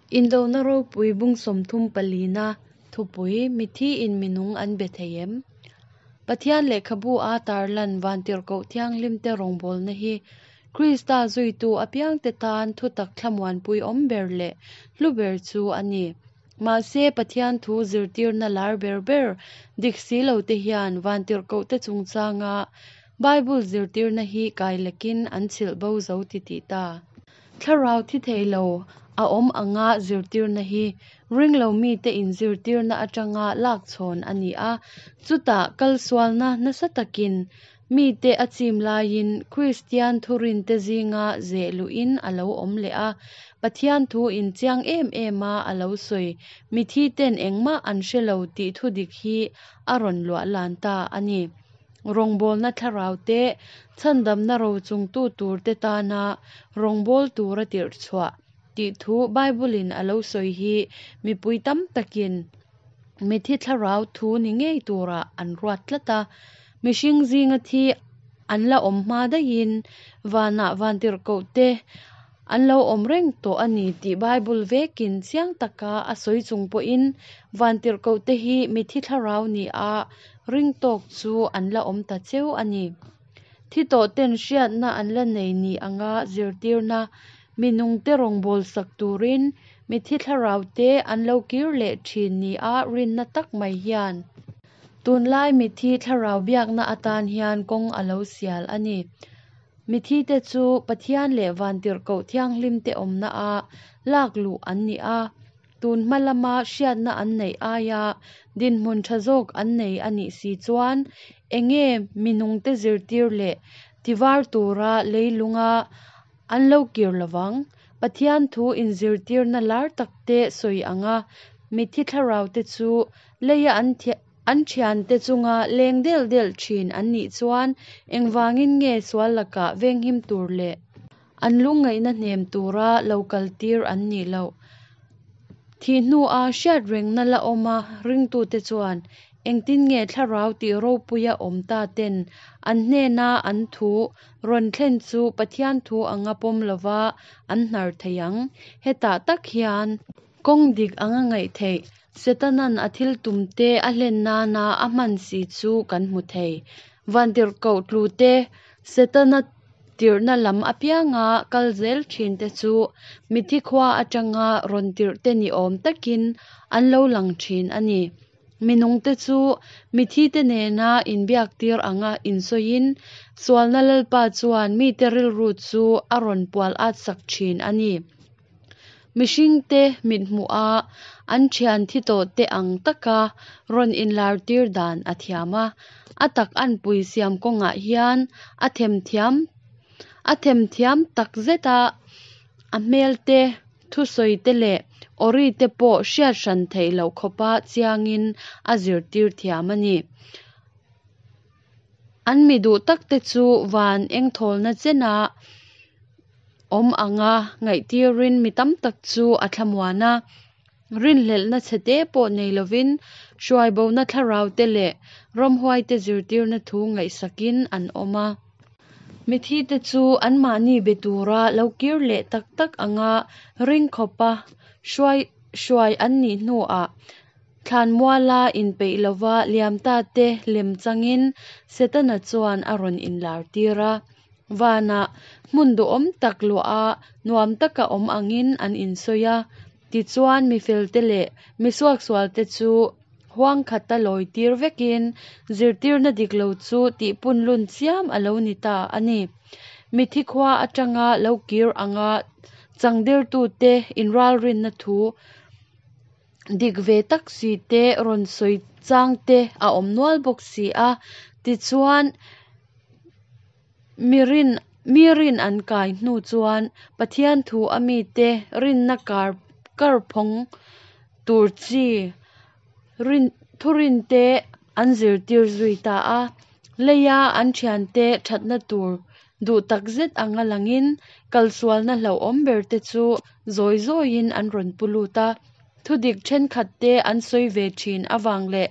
Indona ropui bung 34-na thupui Mithi in minung an be thei em? Pathian lehkhabu a tarlan Vantirhkoh Thianghlimte rawngbawlna hi Krista zuitu apiangte tan thutak thlamuanpui awm ber leh hlu ber chu a ni. Mahse, Pathian thu zirtirna lar ber ber dik si lote hian Vantirhkohte chungchanga Bible zirtirna hi kailekin an chhilh bo zo titih ta. Thlarau thi thei lo a awm anga zirtirna hi ringlo mite inzirtirna atanga lak chhawn a ni a, chutah kalsualna nasa takin mite a chim laiin Kristian thurinte zinga zeh luhin a lo awm leh a, Pathian thu inchiang em em a a lo sawi mithi ten engmah an hre lo tih thudik hi a rawn luah lan ta a ni. Rawngbawlna thlarau te, chhandamna rochungtu turte tana rawngbawl tura tirh chhuah tih thu Bible-in a lo sawi hi mipui tam takin mithi thlarau thu ni ngei turah an ruat tlat a. Mihring zinga thi an la awm hma daihin vanah vantirhkoh te an lo awm reng tawh a ni tih Bible vekin chiang taka a sawi chung pawhin vantirhkoh te hi mithi thlarau ni a ring tawk chu an la awm ta cheu a ni. Thi tawh ten hriatna an la nei ni anga zirtirna mi nungte rawngbawlsak turin mithi thlarau te an lo kir leh thin ni a rinna tak mai hian tunlai mithi thlarau biakna atan hian kawng a lo sial a ni. Mithi te chu Pathian leh Vantirhkoh Thianghlim te awmna a lak luh an ni a, tun hma lama hriatna an neih aia dinhmun tha zawk an nei a nih si chuan enge mi nungte zirtir leh tivar tura leilunga an lo kir lovang. Pathian thu inzirtirna lar takte sawi anga mithi thlarau te chu leia an an thiante chunga leng del del thin an nih chuan engvangin nge sual lakah venghim tur leh an lungngaihna hnem tura lo kaltir an nih loh. Thih hnua hriat rengna la awm a ringtute chuan engtin nge thlarau tih ropuia awm ta ten an hnena an thu rawn thlen chu Pathian thu anga pawm lova an hnar thei ang. Hetah tak hian kawng dik anga ngaih theih Setanan a thil tumte a hlen nana a hman si chu kan hmu thei. Vantirhkoh tlute Setana tirhna lam apianga kal zel thin te chu mithi khua atanga rawn tirhte ni awm takin an lo lang thin a ni. Minungte chu mithi te nena inbiak tir anga insawiin sualna lalpa chuan mite rilru chu a rawn pual at sak thin a ni. Mihringte mithmuh a an thian thi tawh te ang taka rawn inlar tir dan a thiam a, a tak anpui siam kawngah hian a themthiam a themthiam tak zet a, a hmel te, thusawi te leh awri te pawh hriat hran theih loh khawpa chiangin a zirtir thiam a ni. An mi duh tak te chu van engthawlna chena awm anga ngaihtirin mi tam tak chu a thlamuan a, rinhlelhna chhete pawh nei lovin hruaibona thlarau te leh ramhuai te zirtirna thu ngaihsakin an awm a. Mithi te chu anmahni be tura lo kir leh tak tak anga ring khawpa hruai hruai an nih hnuah thlanmuala inpeih lova liam ta te lem changin Setana chuan a rawn inlar tir a. Vanah hmun duhawm tak luah a nuam taka awm angin an insawi a, tichuan mi felte leh mi suaksualte chu huang khata lawi tir vekin zirtirna dik lo chu tihpunlun chiam a lo ni ta a ni. Mithi khua atanga lo kir anga changdirtute inralrinna thu dik ve tak si te rawn sawi chang te a awm nual bawk si a, tichuan mi rin mi rin an kai hnu chuan Pathian thu a mite rinna kar karphawng tur chi rin thurin te an zirtir zui ta a, leia an thiante thatna tur duh tak zet anga langin kalsualna hlauhawm ber te chu zawi zawiin an rawn pu lut a, thudik thenkhat te an sawi ve thin avang leh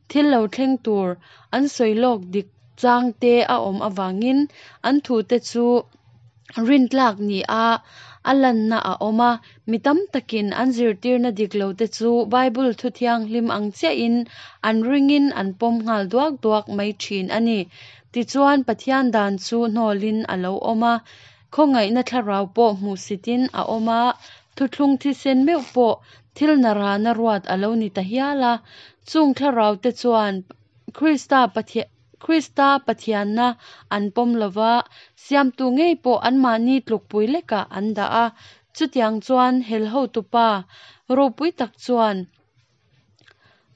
thil lo thleng tur an sawi lawk dik chang te a awm avangin an thu te chu rintlak ni a. a lanna a awm a. Mi tam takin an zirtirna dik lote chu Bible thu thianghlim ang chiahin an ringin an pawm nghal duak duak mai thin a ni. Tichuan, Pathian dan chu hnawlin a lo awm a, khawngaihna thlarau pawh hmuhsitin a awm a, thuthlung thisen meuh pawh thil narana ruat a lo ni ta hial a. Chung thlaraute chuan Krista Krista Pathianna an pawm lo va, Siamtu ngei pawh anmahni tlukpui lekah an dah a. Chutiang chuan hel hotupa ropui tak chuan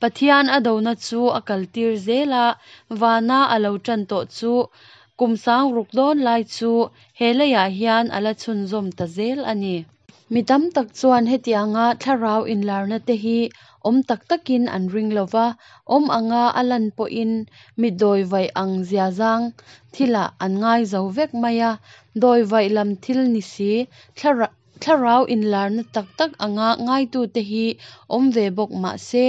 Pathian a dona chu a kaltir zel a, vana a lo tan tawh chu kum sang ruk dawn lai chu he leiah hian a la chhunzawm ta zel a ni. Mi tam tak chuan hetianga thlarau inlarna te hi awm tak takin an ring lo va, awm anga a lan pawhin mi dawivaih ang ziazang thilah an ngai zo vek mai a. Dawivaih lam thil ni si, thlarau inlarna tak tak anga ngaitute hi awm ve bawk mah se,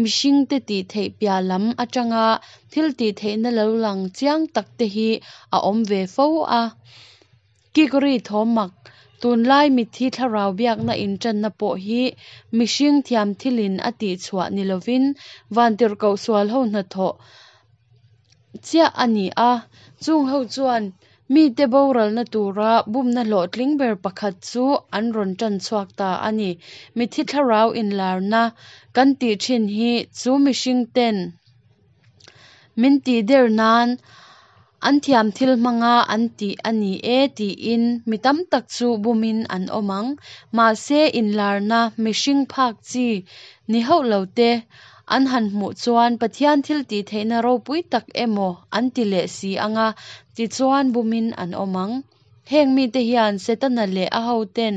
mihringte tih theih piah lam atanga thil tih theihna lo lang chiang tak te hi a awm ve fo a. Kikri thawm mak, Tunlai mitthi thlarau biakna inṭanna pawh hi mihring thiam thilin a tihchhuah ni lovin vantirhkoh sualho hnathawh chiah a ni a. Chungho chuan mite boralna tura bumna hlawhtling ber pakhat chu an rawn ṭan chhuak ta a ni. Mitthi thlarau inlarna kan tih ṭhin hi chu mihringten Min tih der nan an thiam thil hmanga an tih a ni e tiin mi tam tak chu bumin an awm ang. Mahse inlarna mihring phak chi ni hauh lo te an han hmuh chuan Pathian thil tih theihna ropui tak emaw an ti leh si anga tichuan bumin an awm ang. Heng mite hian Setana leh a hoten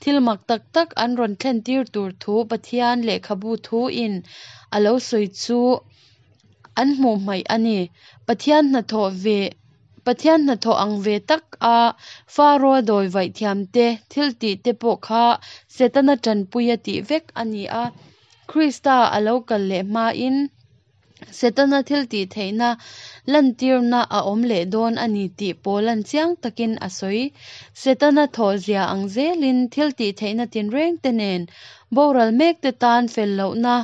thil mak tak tak an rawn thlentir tur thu Pathian lehkhabu thuin a lo sawi chu an hmuh hmaih a ni. Pathian hnathawh ve Pathian hnathawh ang ve tak a Faro-a dawi vaih thiamte thil tih te pawh kha Setana tanpuia tih vek a ni a. Krista a lo kal leh hmain Setana thil tih theihna lantirna a awm leh dawn a ni tih Paula'n chiang takin a sawi. Setana thawhzia ang zelin thil tih theihna tinrengte nen Boral mekte tan fel lohna,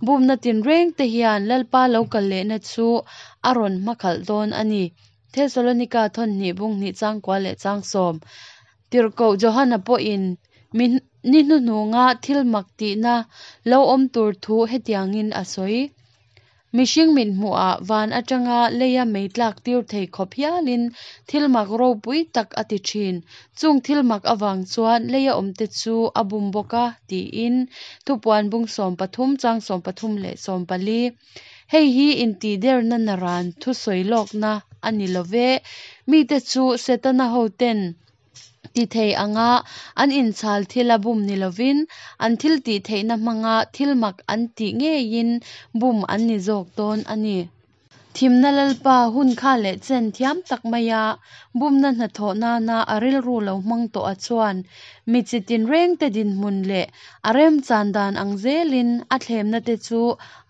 bumna tinrengte hian Lalpa lo kal lehna chu a rawn hmakhalh dawn a ni. Thesalonika thawn hnih bung hnih changkua leh changsawm Tirhkoh Johana pawhin mi ni hnuhnunga thil mak tihna lo awm tur thu hetiangin a sawi. Mihring mithmuhah van atanga leia mei tlak tir thei khawp hialin thil mak ropui tak a ti thin. Chung thil mak avang chuan leia awmte chu a bum bawk a, tiin Thupuan bung 13 chang 13 leh 14. Hei hi intihderna naran thusawi lawkna a ni lo ve. Mite chu Setana hoten Ti thei anga an inchhal thil a bum ni lovin an thil tih theihna hmanga thil mak an tih ngeiin bum an ni zawk dawn a ni. Thimna Lalpa hun kha leh chen thiam tak maia bumna hnathawh nana a rilru lo hmang tawh a chuan mi chi tinrengte dinhmun leh a remchan dan ang zelin a thlemna te chu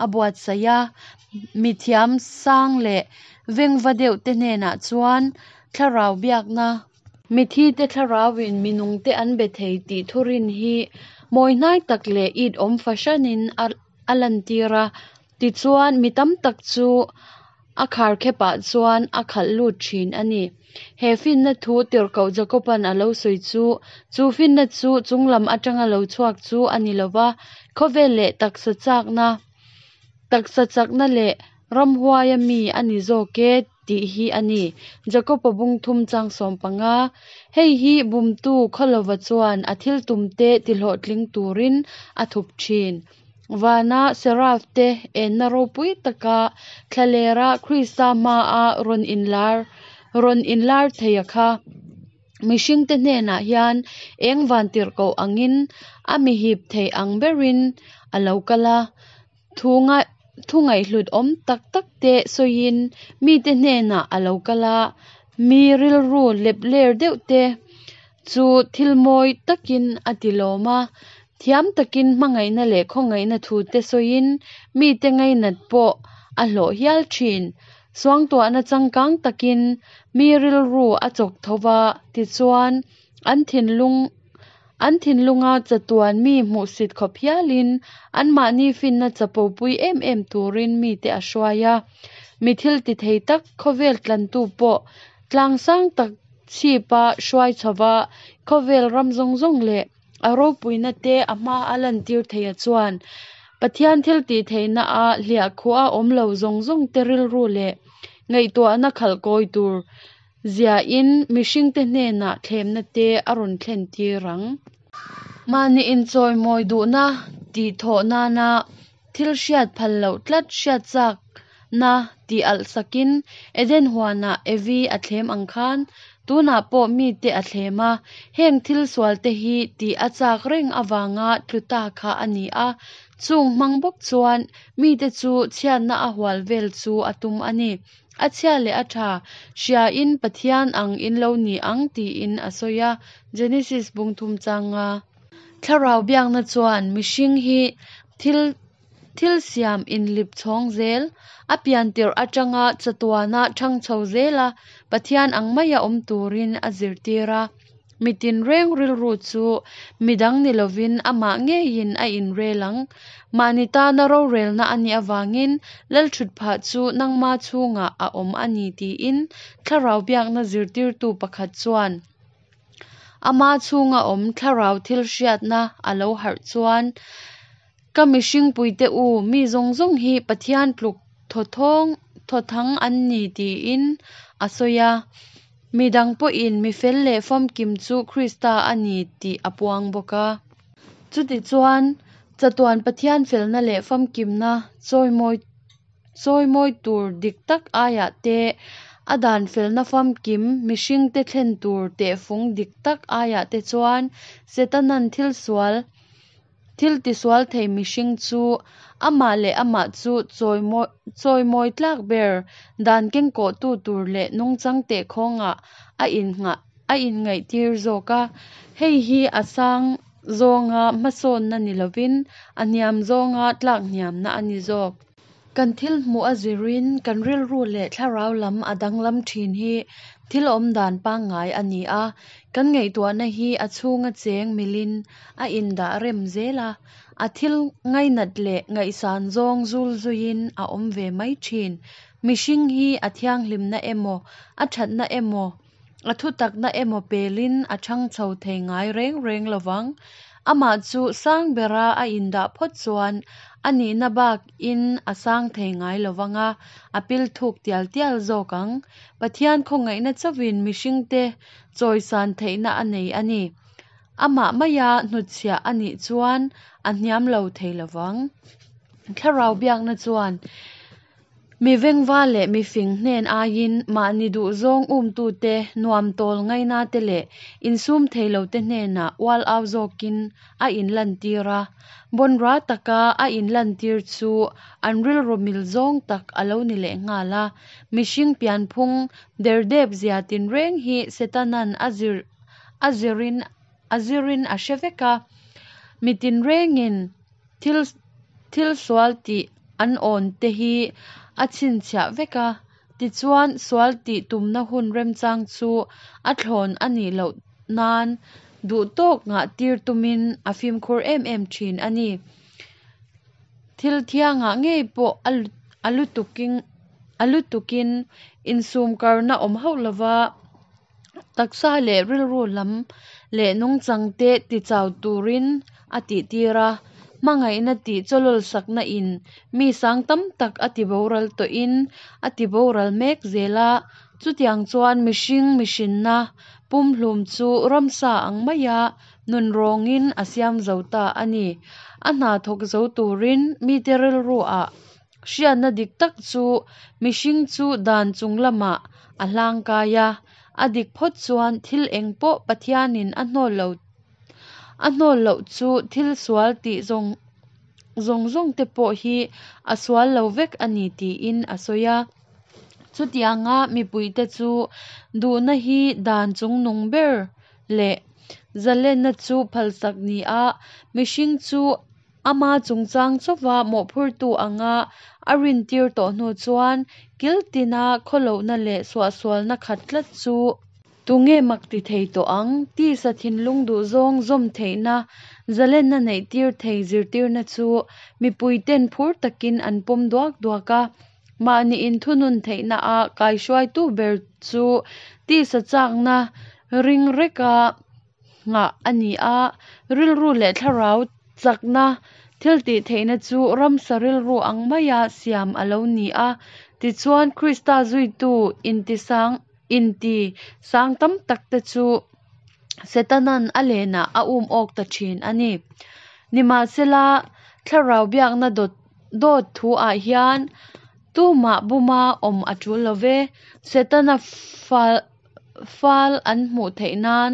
a buatsaih a, mi thiam sang leh vengva deuh te hnenah chuan thlarau biakna Mithite thlarauin mi nungte an be thei tih thurin hi mawihnai tak leh it awm fahranin a lantir a. Tichuan, mi tam tak chu a kharkhepah chuan a khalh lut thin a ni. He finna thu tirhkoh Jakoba'n a lo sawi chu, chu finna chu chunglam atanga lo chhuak chu a ni lo va, khawvel leh taksa chakna, taksa chakna leh ramhuaia mi a ni zawk e tih hi a ni. Jakob-a bung thum chang 15. Hei hi bumtu Khawlova chuan a thil tumte tihlawhtling turin a thup thin. Vana Seraph te enna ropui taka thlalera Krista hmaa rawn inlar rawn inlar thei a kha. Mihringte hnenah hian eng vantirhkoh angin a mihip thei ang berin a lo kal a. Thu thu ngaihhlut awm tak tak te sawiin mite hnenah a lo kal a, mi rilru lep ler deuh te chu thil mawi takin a ti lawm a, thiam takin hmangaihna leh khawngaihna thu te sawiin mite ngainat pawh a hlawh hial thin. Suangtuahna changkang takin mi rilru a chawk tho va, tichuan an thinlung. An thinlunga chatuan mi hmuhsit khawp hialin anmahni finna chapopui em em turin mite a hruai a. Mi thil ti thei tak, khawvel tlantu pawh tlang sang tak chhipa hruai chhova khawvel ram zawng zawng leh a ropuina te a hma a lantir theia chuan Pathian thil tih theihna a hliahkhuh a awm lo zawng zawng te rilru leh ngaihtuahna khalh kawi tur ziahin mihringte hnenah thlemna te a rawn thlen tir ang. Mahni inchawimawi duhna tih thawh nana thil hriat phal loh tlat hriat chakna tih alh sakin Eden huanah Evi a thlem ang khan tunah pawh mite a thlem a, heng thil sualte hi tih a chak reng avanga tlu ta kha a ni a, chung hmang bawk chuan mite chu chhiatna a hual vel chu a tum a ni. A chhia leh a tha hriain Pathian ang in lo ni ang tiin a sawi a, Genesis bung thum changa. Thlarau biakna chuan mihring hi thil thil siam inlip chhawng zel, a pian tirh atanga chatuana thang chho zela Pathian ang maia awm turin a zirtir a. Mi tinreng rilru chu midang ni lovin amah ngeiin a inrel ang. Mahni tana rorelna a nih avangin Lalthutphah chu nangma chhungah a awm a ni tiin thlarau biakna zirtirtu pakhat chuan ama chhunga awm thlarau thil hriatna a lo harh chuan Ka mihringpuite u, mi zawng zawng hi Pathian tluk thawthawng thawthang an ni tiin a sawi a. Mi dang pawhin mi fel leh famkim chu Krista a ni tih a puang bawk a. Chutichuan, chatuan Pathian felna leh famkimna chawimawi chawimawi tur dik tak aiah te, a dan felna famkim mihringte thlen tur tehfung dik tak aiah te chuan Setanan thil sual Thil tisual thei mihring chu amah leh amah chu chawimawi tlak ber dan kengkawhtu tur leh nungchang tehkhawngah a innghah a inngaihtir zawk a. Hei hi a sang zawnga hmasawnna ni lovin a hniam zawnga tlak hniamna a ni zawk. Kan thil hmuh a zirin kan rilru leh thlarau lam a danglam thin hi thil awmdan pangngai a ni a, kan ngaihtuahna hi a chhunga cheng milin a indah rem zel a, a thil ngainat leh ngaihsan zawng zul zuiin a awm ve mai thin. Mihring hi a thianghlimna emaw, a thatna emaw, A thutakna emaw pelin a chhang chho thei ngai reng reng lovang. Amah chu sang bera a indah phawt chuan a nihna bakin a sang thei ngai lovang a, a pil thuk tial tial zawk ang. Pathian khawngaihna chauhin mihringte chawisan theihna a nei a ni. Amah maia hnutchhiah a nih chuan a hniam lo thei lovang. Thlarau biakna chuan Mi vengva leh mi fing hnen aiin mahni duhzawng umtute, nuam tawl ngainate leh insum thei lote hnenah ual au zawkin a inlantir a. Bawnra taka a inlantir chu an rilru mil zawng tak a lo ni leh nghal a. Mihring pianphung derdep zia tinreng hi Setanan a zir a zirin a zirin a hre vek a. Mi tinrengin Thil thil sual tih an awn te hi a chhinchhiah vek a, tichuan sual tih tumna hun remchang chu a thlawn a nih loh nan duh tawk ngah tir tumin a fimkhur em em thin a ni. Thil thiangah ngei pawh a a lutukin a lutukin insumkarna awm hauh lova Taksa leh rilru lam leh nungchang te tichau turin a tihtir a, hmangaihna tih chawlawlsakna in mi sang tam tak a tiboral tawhin a tiboral mek zel a, chutiang chuan mihring mihrinna pumhlum chu ramsa ang maia nunrawngin a siam zo ta a ni. A hna thawk zo turin mite rilru ah Hriatna dik tak chu mihring chu dan chung lamah a hlangkai a, a dik phawt chuan thil eng pawh Pathianin a hnawl lo a hnawl loh chu thil sual tih zawng zawng zawng te pawh hi a sual lo vek a ni tiin a sawi a. Chutianga mipuite chu duhna hi dan chungnung ber leh zalenna chu phalsak ni a, mihring chu Ama chungchang chauva mawhphurtu anga a rintir tawh hnu chuan kil tina khawlohna leh suahsualna khat tlat chu. Tunge mak ti thei tawh ang? Tisa thinlung duhzawng zawm theihna, zalenna neihtir thei zirtirna chu mipuiten phur takin an pawm duak duak a. Mahni inthunun theihna-a kaihruaitu ber chu tisa chakna ring reka nghah a ni a, rilru leh thlarau chakna thiltihtheihna chu ramsa rilru ang maia siam a lo ni a. Tichuan, Krista zuitu intisang inti sang tam takte chu Setana'n a lenah a um awk ta thin a ni. Nimahsela, thlarau biakna dawt dawt thu-ah hian tumah buma awm a tul lo ve. Setana fal fal an hmuh theih nan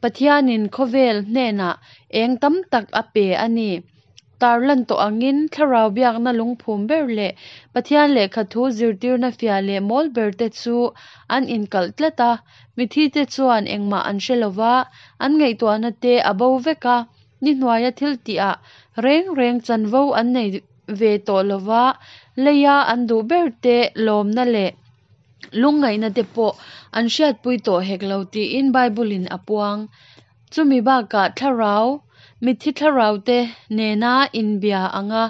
Pathianin khawvel hnenah eng tam tak a pe a ni. Tarlan tawh angin thlarau biakna lungphum ber leh Pathian lehkha thu zirtirna fiah leh mawl ber te chu an inkalh tlat a. Mithite chuan engmah an hre lo va, an ngaihtuahna te a bo vek a, ni hnuaia thil tihah reng reng chanvo an nei ve tawh lo va, leia an duh ber te lawmna leh lungngaihna te pawh an hriatpui tawh hek lo tiin Bible-in a puang. Chumi bakah thlarau, mitthi thlarau te nena inbia anga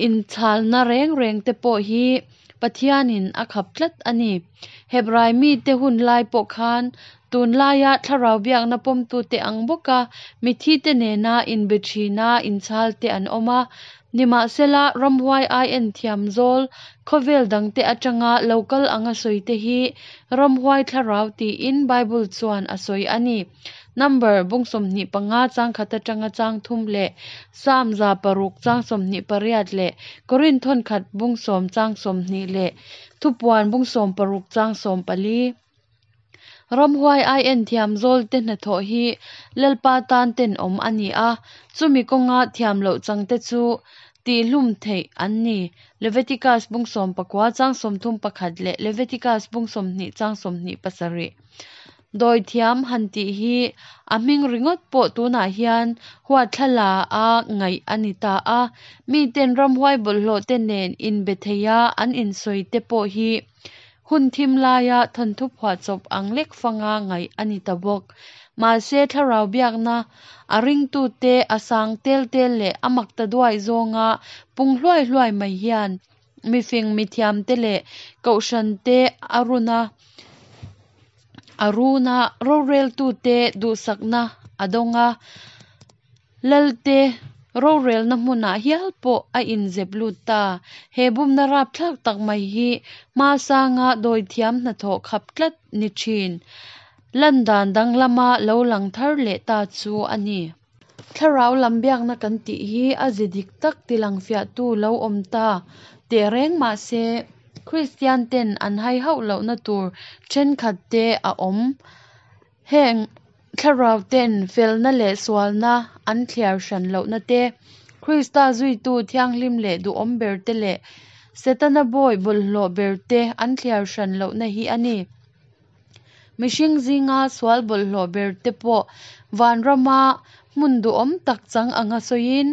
inchhalna reng reng te pawh hi Pathianin a khap tlat a ni. Hebrai mite hun lai pawh khan tunlaia thlarau biakna pawmtute ang bawka mitthi te nena inbe thina inchhal te an awm a. Nimahsela, ramhuai ai en thiam zawl khawvel dangte atanga lo kal anga sawi te hi ramhuai thlarau tiin Bible chuan a sawi a ni. Number, bung 25 chang khat atanga chang thum leh Psalm 106 chang 28 leh Korinth thawnkhat bung 10 chang 20 leh Thupuan bung 16 chang 14. Ramhuai ai en thiam zawl te hnathawh hi Lalpa tan tenawm a ni a, chumi kawnga thiam loh chang te chu tihhlum theih an ni. Leviticus bung 19 chang 31 leh Leviticus bung 20 chang 27. Dawi thiam han tih hi a hming ringawt pawh tunah hian huatthlala a ngaih a ni ta a, miten ramhuai bawlhhlawh te nen inbe theia an insawi te pawh hi Hun thim laia thawnthu phuahchawp ang lek fanga ngaih a ni ta bawk. Mahse, thlarau biakna a ringtute a sang tel tel leh a mak ta duai zawnga pung hluai hluai mai hian mifing mithiamte leh kohhrante a run a, a run a, roreltute duhsakna a dawng a. Lalte rorelna hmunah hial pawh a inzep lut ta. He bumna rapthlak tak mai hi hmasanga dawithiam hnathawh khap tlat ni thin. Landan danglama lo lang thar leh ta chu a ni. Thlarau lam biakna kan tih hi a ze dik tak tilang fiahtu lo awm ta teh reng mah se, Kristian ten an hai hauh lohna tur thenkhat te a awm. Heng thlarau ten felna leh sualna an thliar hran lohna te, Krista zuitu thianghlim leh duhawm ber te leh Setana bawi bawlhhlawh ber te an thliar hran lohna hi a ni. Mihring zinga sual bawlhhlawh ber te pawh vanrama hmun duhawm tak chang anga sawiin,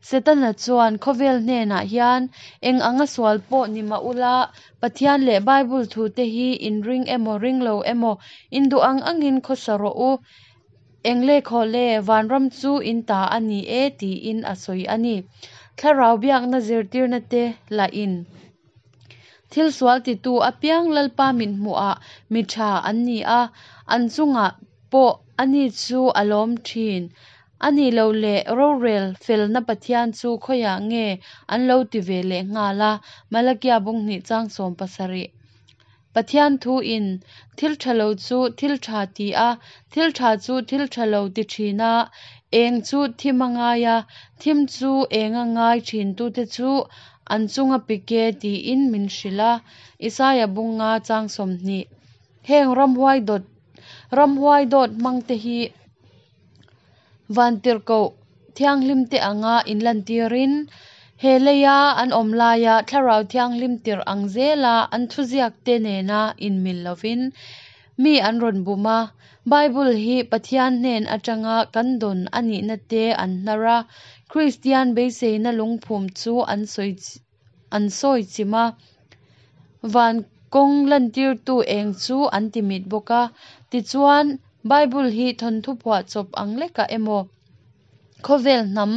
Setana chuan khawvel hnenah hian eng anga sual pawh ni mah ula, Pathian leh Bible thute hi in ring emaw ring lo emaw in duh ang angin khawsa rawh u, eng le khaw le, vanram chu in ta a ni e tiin a sawi a ni. Thlarau biakna zirtirna te lahin thil sual titu apiang Lalpa mithmuhah mi tha an ni a, an chungah pawh ani chu a lawm thin. A nih loh leh rorel felna Pathian chu khawiah nge an lo ti ve leh nghal a, Malakia bung hnih chang 17. Pathian thu in thil tha lo chu thil tha ti a, thil tha chu thil tha lo ti thin a, eng chu thim a ngai a, thim chu eng a ngai thin tute chu an chunga pik e tiin min hrilh a, Isaia bung nga chang 20. Heng ramhuai dawt ramhuai dawt hmang te hi Vantirhkoh thianghlim te anga inlantirin, he leia an awm laia thlarau thianghlim tirh ang zela an thuziak te nena inmil lovin mi an rawn bum a. Bible hi Pathian hnen atanga kan dawn a nihna te an hnar a, Kristian beiseina lungphum chu an sawi an sawi chim a. Van. Kawng lantirtu eng chu an timit bawk a. Tichuan, Bible hi thawnthu phuahchawp ang lekah emaw, khawvel hnam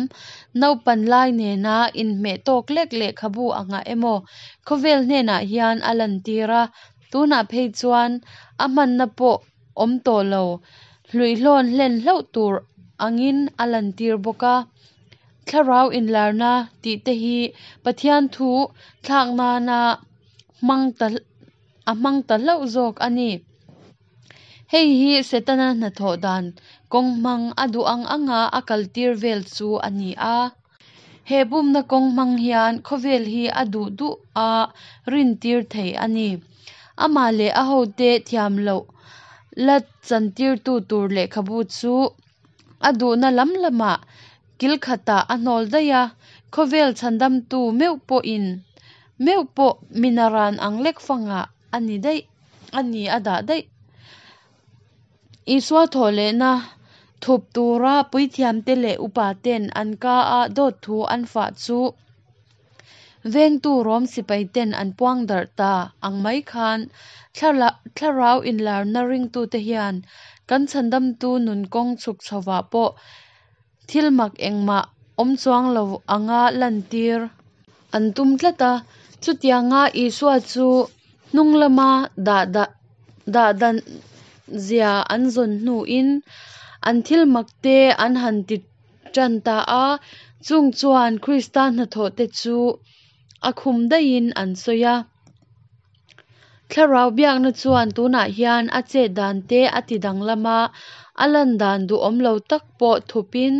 naupan lai nena inhmeh tawk lek lehkhabu angah emaw khawvel hnenah hian a lantir a. Tunah phei chuan a hmanna pawh awm tawh lo, hluihlawn hlen hlauh tur angin a lantir bawk a. Thlarau inlarna tih te hi Pathian thu thlak nana hmang ta a hmang ta hlauh zawk a ni. Hei hi Setana hnathawh dan kawng hmang a duh ang anga a kaltir vel chu a ni a. He bumna kawng hmang hian khawvel hi a duh duh a rintir thei a ni. Amah leh a hote thiam loh la chantirtu tur lehkhabu chu a duhna lam lamah kil khatah a hnawl daih a, khawvel chhandamtu meuh pawhin meuh pawh minaran ang lek fangah a ni daih a ni a dah daih. Isua thawhlehna thup tura puithiamte leh upaten an ka a dawt thu an fah chu vengtu Rom sipaiten an puang darh ta ang mai khan thlarau inlarna ringtute hian kan chhandamtu nun kawng chhuk chhovah pawh thil mak engmah awm chuang lo anga lantir an tum tlat a. Chutianga Isua chu hnung lama dah dah dan zia an zawn hnuin an thil mak te an han ti tan ta a, chung chuan Krista hnathawh te chu a khum daihin an sawi a. Thlarau biakna chuan tunah hian a chet dan te a ti danglam a, a lan dan duhawm lo tak pawh thupin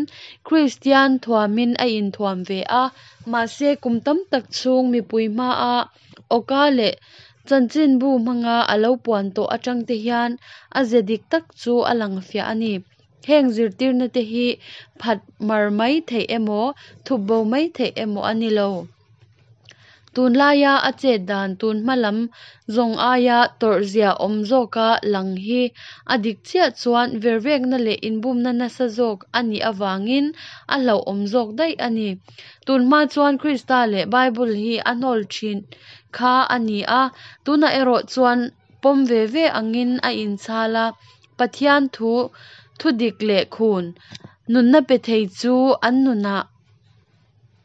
Kristian thuamin a inthuam ve a, mahse kum tam tak chhung mipui hmaa awka leh chanchinbu hmanga a lo puan tawh atang te hian a ze dik tak chu a lang fiah a ni. Heng zirtirna te hi phat mar mai theih emaw, thup bo mai theih emaw a ni lo. Tunlaia a chet dan tun hma lam zawng aia tawrhzia awm zawka lang hi a dik chiah chuan vervekna leh inbumna nasa zawk a nih avangin a hlauhawm zawk daih a ni. Tun hma chuan Krista leh Bible hi a hnawl thin kha a ni a, tunah erawh chuan pawm ve ve angin a inchhal a, Pathian thu thudik leh khun nunna pe thei chu an nunah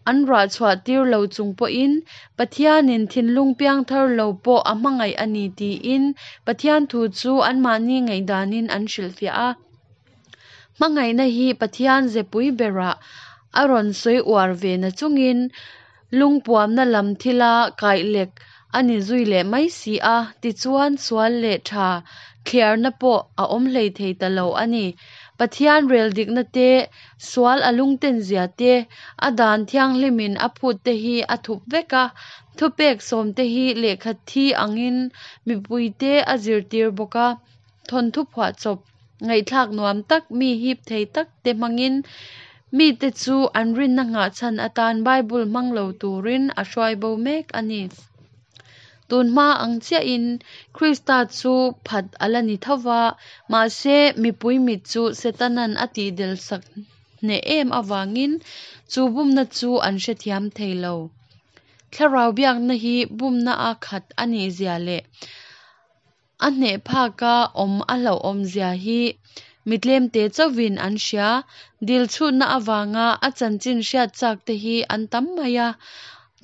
an ruah chhuah tir lo chung pawhin Pathianin thinlung piangthar lo pawh a hmangaih a ni tiin Pathian thu chu anmahni ngaihdanin an hrilhfiah a. Hmangaihna hi Pathian zepui berah a rawn sawi uar ve na chungin lungpuamna lam thila kaihlek a ni zui leh mai si a, tichuan sual leh tha thliarna pawh a awm hlei thei ta lo a ni. Pathian rel dikna te, sual a lungten zia te, a dan thianghlimin a phut te hi a thup vek a, thupek sawm te hi lehkha thi angin mipuite a zirtir bawk a, thawnthu phuahchawp ngaihthlak nuam tak mi hip thei tak te hmangin mite chu an rinna nghahchhan atan Bible hmang lo turin a hruai bo mek a ni. Tun hma ang chiahin Krista chu phat a la ni tho va, mahse mipui mit chu Setanan a tihdel sak hneh em avangin chu bumna chu an hrethiam thei lo. Thlarau biakna hi bumna a khat a nih zia leh a hneh phaka awm a hlauhawm zia hi mi tlemte chauhin an hria. Dil chhutna avanga a chanchin hriat chak te hi an tam mai a.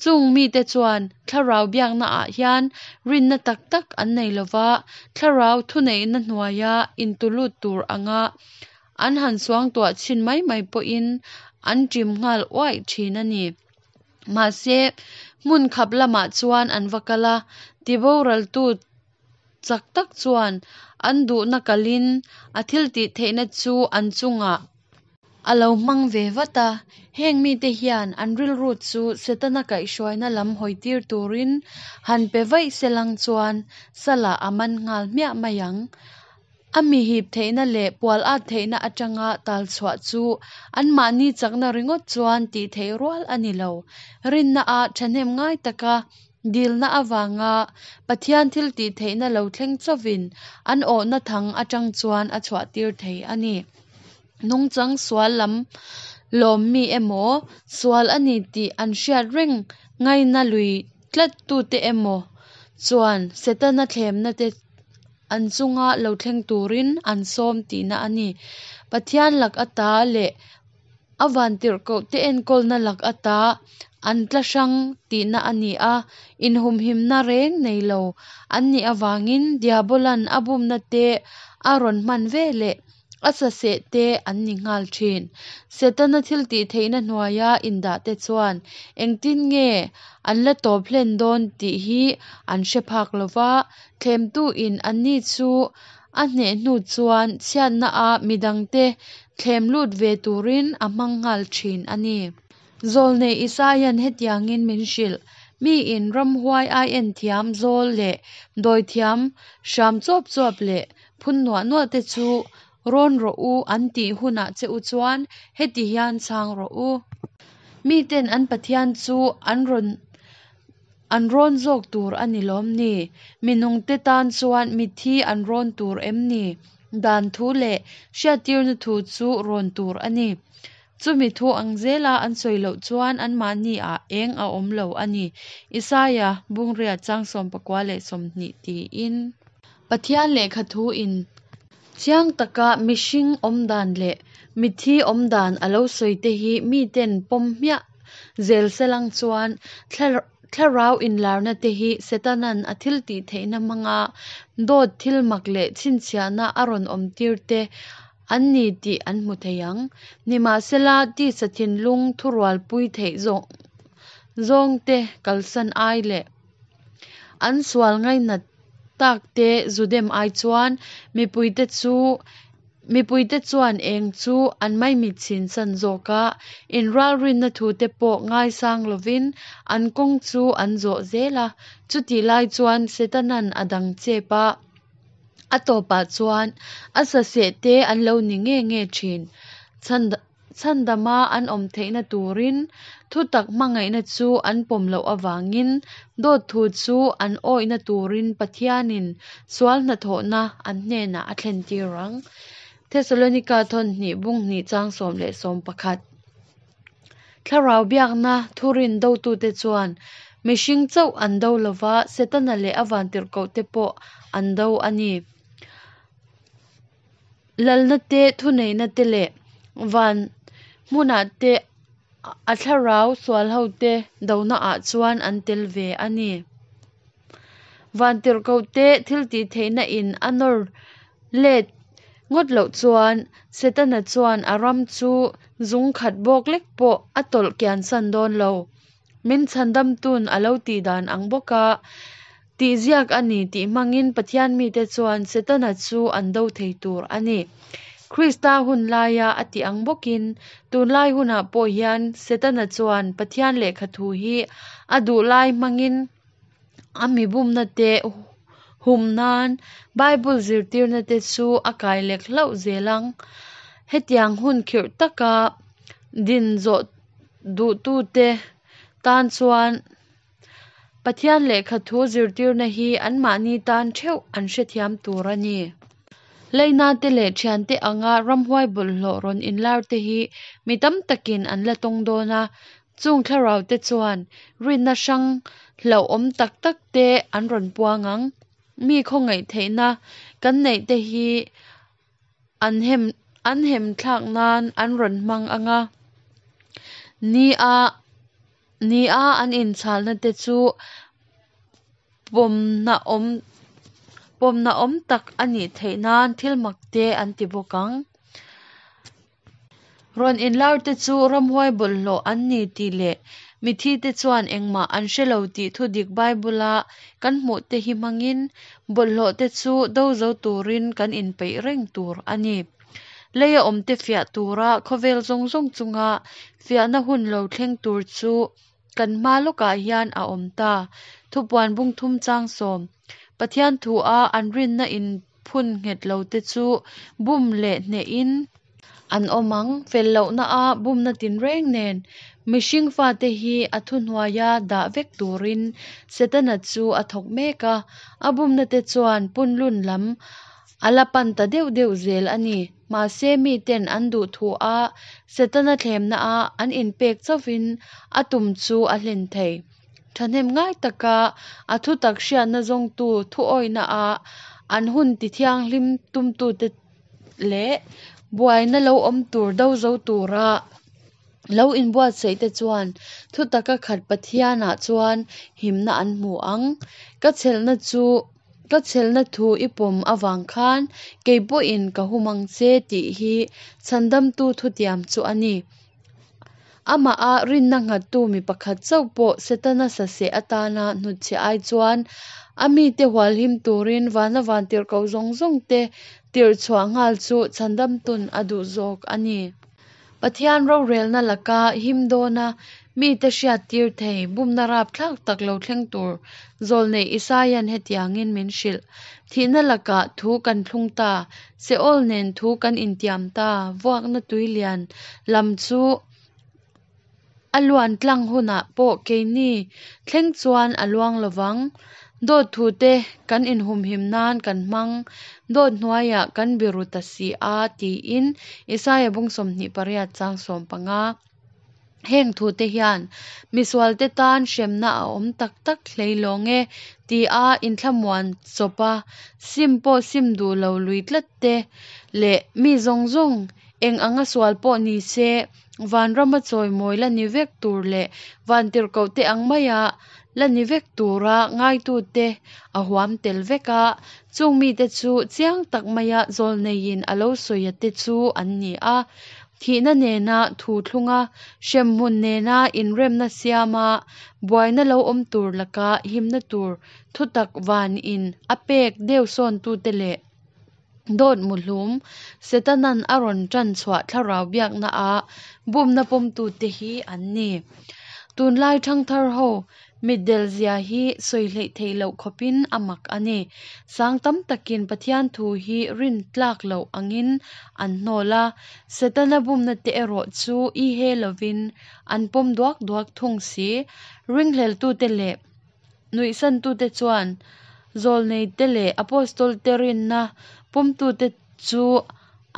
Chung mite chuan thlarau biakna ah hian rinna tak tak an nei lova, thlarau thuneihna hnuaia intulut tur anga an han suangtuah chhin mai mai pawhin an ṭim nghal uaih ṭhin a ni. Mahse, hmun khap lamah chuan an va kal a, tiboraltu chak tak chuan an duhna kalin a thiltih theihna chu an chungah a lo hmang ve vat a. Heng mite hian an rilru chu Setana kaihhruaina lam hawitir turin han pe vaih se lang chuan salah a man nghal hmiah mai ang. A mi hip theihna leh pual at theihna atanga tal chhuah chu anmahni chakna ringawt chuan tih theih rual a ni lo. Rinna a thahnem ngai taka dilna avanga Pathian thil tih theihna lo thleng chauhin an awhna thang atang chuan a chhuah tir thei a ni. Nungchang sual lam lawm mi emaw, sual a ni tih an hriat reng ngaina lui tlat tute emaw chuan Setana thlemna te an chunga lo thleng turin an sawm tihna a ni. Pathian lak ata leh a vantirhkohte enkawlna lak ata an tla hrang tihna a ni a, inhumhimna reng nei lo an nih avangin Diabola'n a bumna te a rawn hman veleh a saseh te an ni nghal thin. Setana thiltihtheihna hnuaia indahte chuan engtin nge an la tawp hlen dawn tih hi an hre phak lo va, thlemtuin anni chu a hneh hnu chuan chhiatnaah midangte thlem lut ve turin a hmang nghal thin a ni. Zawlnei Isaia'n hetiangin min hrilh, Miin ramhuai aienthiam zawl leh dawithiam hram chuap chuap leh phun nuah nuah te chu rawn rawh u an tih hunah che u chuan heti hian chhang rawh u. Miten an Pathian chu an rawn an rawn zawk tur a ni lawm ni? Minungte tan chuan mitthi an rawn tur em ni? Dan thu leh hriattirna thu chu rawn tur a ni. Chumi thu ang zela an sawi loh chuan anmahni-ah eng a awm lo a ni, Isaia bungriat chang 29 tiin. Pathian lehkha thu in chiang taka mihring awmdan leh mitthi awmdan a lo sawi te hi miten pawm hmiah zel selang chuan thlarau inlarna te hi Setana'n a thiltihtheihna hmanga dawt thilmak leh chhinchhiahna a rawn awmtir te an ni tih an hmu thei ang. Nimahsela, tisa thinlung thurualpui theih zawng zawngte kalsan ai leh an sual ngainat takte zu dem ai chuan mipuite chu mipuite chuan eng chu an maimit chhinsan zawk a, inralrinna thute pawh ngaisang lovin an kawng chu an zawh zel a. Chutih lai chuan Setana'n a dang chep a. A tawpah chuan a saseh te an lo ni nge nge thin. Chhandama an awm theihna turin thutak hmangaihna chu an pawm loh avangin dawt thu chu an awihna turin Pathianin sual hnathawhna an hnenah a thlentir ang. Thesalonika thawn hnih bung hnih chang 10 leh 11. Thlarau biakna thurin dotute chuan mihring chauh an do lova, Setana leh a vantirhkohte pawh an do a ni. Lalna te, thuneihna te leh van hmunah te a thlarau sualhote donaah chuan an tel ve a ni. Vantirhkohte thiltihtheihna in a nawr let ngawt loh chuan Setana chuan a ram chu zung khat bawk lek pawh a tawlh kiansan dawn lo. Min chhandamtu'n a lo tih dan ang bawka tih ziak a ni tih hmangin Pathian mite chuan Setana chu an do thei tur a ni. Krista hun laia a tih ang bawkin tunlai hunah pawh hian Setana chuan Pathian lehkha thu hi a duh lai hmangin a mi bumna te hum nan Bible zirtirna te chu a kai lek hlauh zel ang. Hetiang hun khirh taka din zawh duhtute tan chuan Pathian lehkha thu zirtirna hi anmahni tan theuh an hrethiam tur a ni. Leina te leh thiante anga ramhuai bawlhhlawh rawn inlar te hi mi tam takin an la tawng dawn a. Chung thlarau te chuan rinna hrang hlauhawm tak tak te an rawn puang ang. Mi khawngaih theihna kan neih te hi an hem an hem thlak nan an rawn hmang anga. Ni a ni a an inchhalna te chu pawmna awm pawmna awm tak a nih theih nan thil mak te an ti bawk ang. Rawn inlar te chu ramhuai bawlhhlawh an ni tih leh mitthi te chuan engmah an hre lo tih thudik Bible a kan hmuh te hi hmangin bawlhhlawh te chu do zo turin kan inpeih reng tur a ni. Leia awm te fiah tura khawvel zawng zawng chunga fiahna hun lo thleng tur chu kan hma lawkah hian a awm ta. Thupuan bung thum chang 10. Pathian thu a an rinna in phun nghet lo te chu bum leh hnehin an awm ang. Fel lohna a bumna tinreng nen mihring fate hi a thuhnuaia dah vek turin Setana chu a thawk mek a. A bumna te chuan punlun lam a la pan ta deuh deuh zel a ni. Mahse miten an duh thu a Setana thlemna a an inpek chauhin a tum chu a hlen thei. Thahnem ngai taka a thutak hriatna zawngtu thuawihna a an hun tithianghlim tumtute leh buaina lo awm tur do zo tura lo inbuatsaihte chuan thutaka khat Pathianah chuan himna an hmu ang. Ka chhelna chu ka chhelna thu i pawm avang khan kei pawhin ka hum ang che tih hi Chhandamtu thutiam chu a ni. Amaha rinna nghattu mi pakhat chauh pawh Setana saseh atana hnutchhiah ai chuan a mite hualhim turin vana vantirhkoh zawng zawngte tirh chhuah nghal chu Chhandamtun a duh zawk a ni. Pathian rorelna laka him dawna mite hriattir thei bumna rapthlak tak lo thleng tur zawlneih Isaia'n hetiangin min hrilh, Thihna lakah thu kan thlung ta, Seol nen thu kan intiam ta, vuakna tui lian lam chu a luan tlang hunah pawh keini thleng chuan a luang lo vang. Dawt thute kan inhumhim nan kan hmang, dawt hnuaiah kan biru ta si a, tiin Isaia bung 28 chang 15. Heng thute hian misualte tan hremna a awm tak tak hlei lawng e tia inthlamuan chawpa sim pawh sim duh lo lui tlat te leh mi zawng zawng eng anga sual pawh ni se vanrama chawimawi la ni vek tur leh vantirhkohte ang maia la ni vek tura ngaitute a huam tel vek a, chung mite chu chiang tak maia zawlneiin a lo sawia te chu an ni a. Thihna nena thu thlunga, hremhmun nena inremna siama, buaina lo awm tur laka himna tur thutak vanin a pek deuhsawntute leh dawt muhlum Setana'n a rawn tan chhuah thlarau biakna a bumna pawmtute hi an ni. Tunlai thangthar ho Mitdel zia hi sawi hleih theih loh khawpin a mak a ni. Sang tam takin Pathian thu hi rin tlak loh angin an hnawl a, Setana bumna te erawh chu i he lovin an pawm duak duak thung si. Ringhleltute leh nuihsantute chuan zawlneite leh Apostolte rinna pawmtute chu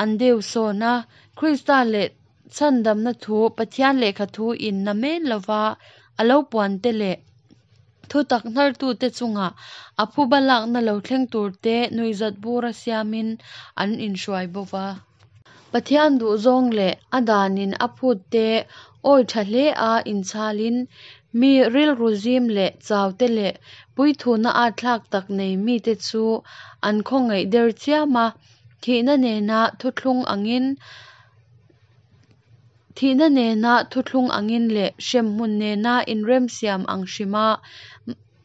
an deuhsawn a, Krista leh Chhandamna thu Pathian lehkha thu in namen lova a lo puan te leh thutak hnartute chunga a phuba lakna lo thleng turte nuihzat bura siamin an inhruai bo va. Pathian duhzawng leh a danin a phut te awi tha hle a inchhalin mi rilru zim leh chau te leh puithuna atthlak tak nei mite chu an khawngaih der chiam a, thihna nena thuthlung angin Thihna nena thuthlung angin leh hremhmun nena inremsiam ang hrima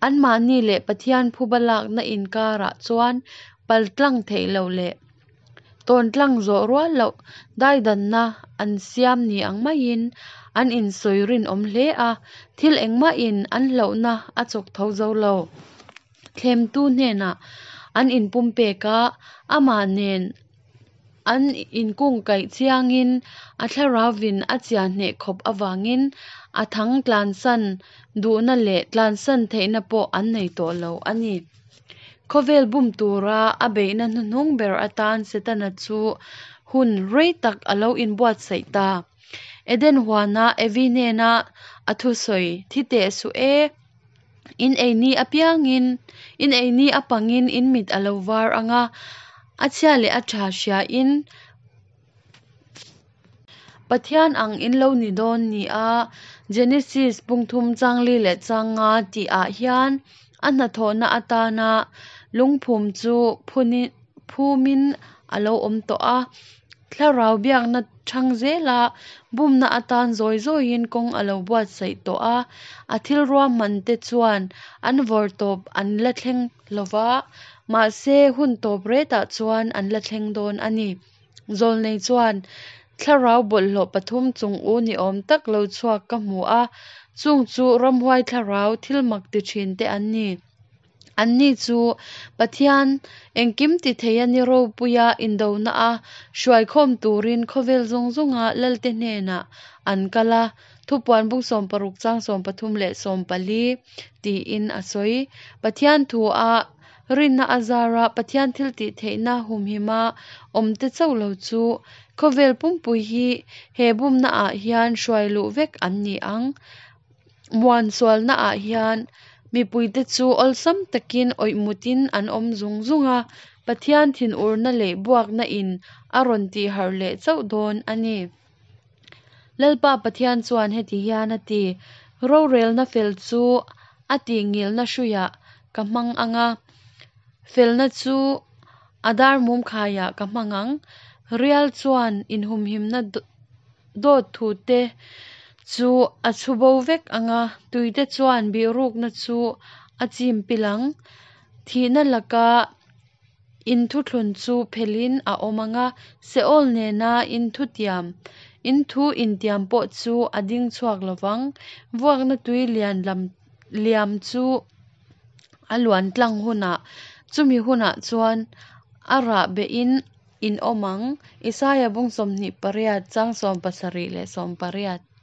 anmahni leh Pathian phuba lakna inkarah chuan paltlang theih loh leh tawntlang zawh rual loh daidanna an siam ni ang maiin an insawi rinawm hle a, thil engmahin an hlauhna a chawk tho zo lo. Thlemtu hnenah an inpumpek a, amah nen an inkungkaih chiangin a thlarauvin a chiah hneh khawp avangin a thang tlansan duhna leh tlansan theihna pawh an nei tawh lo a ni. Khawvel bum tura a beihna hnuhnung ber atan Setana chu hun rei tak a lo inbuatsaih ta. Eden huana Evi hnena a thusawi thi teh suh e. In ei ni apiangin, in ei ni apangin in mit a lo var ang a, a chhia leh a tha hriain Pathian ang in lo ni dawn ni a, Genesis pungthum changli leh changa tihah hian a hnathawhna atana lungphum chu phumin a lo awm tawh a. Thlarau biakna chhang zela bumna atan zawi zawiin kawng a lo buatsaih tawh a, a thil ruahman te chuan an vawr tawp an la thleng lo va, mahse hun tawp retah chuan an la thleng dawn a ni. Zawlnei chuan thlarau bawlhhlawh pathum chung u ni awm tak lo chhuak ka hmu a, chung chu ramhuai thlarau thil mak ti thin te an ni. Anni chu Pathian engkim ti thei a ni ropuia indona a hruaikhawm turin khawvel zawng zawnga lalte hnenah an kal a, Thupuan bung 16 chang 13 leh 14 tiin a sawi. Pathian thu a rinna a zara Pathian thil tih theihna humhima awmte chauh lo chu khawvel pumpui hi he bumna ah hian hruai luh vek an ni ang. Muan sualnaah hian mipuite chu awlsam takin awih mutin an awm zung zung a, Pathian thinurna leh buakna in a rawn tihharh leh chauh dawn a ni. Lalpa Pathian chuan heti hian a ti, Rorelna fel chu a tihngilna hruiah ka hmang ang a, felna chu a dar mum khaiah ka hmang ang. Rial chuan inhumhimna dawt thute chu a chhu bo vek ang a, tuite chuan bihrukna chu a chim pil ang. Thihna laka Inthuthlun chu phelhin a awm ang a, Seol nena inthutiam, inthu intiam pawh chu a ding chhuak lo vang. Vuakna tui lian lam liam chu a luan tlang hunah, chumi hunah chuan a rah behin in awm ang. Isaia bung 28, chang 77 leh 80.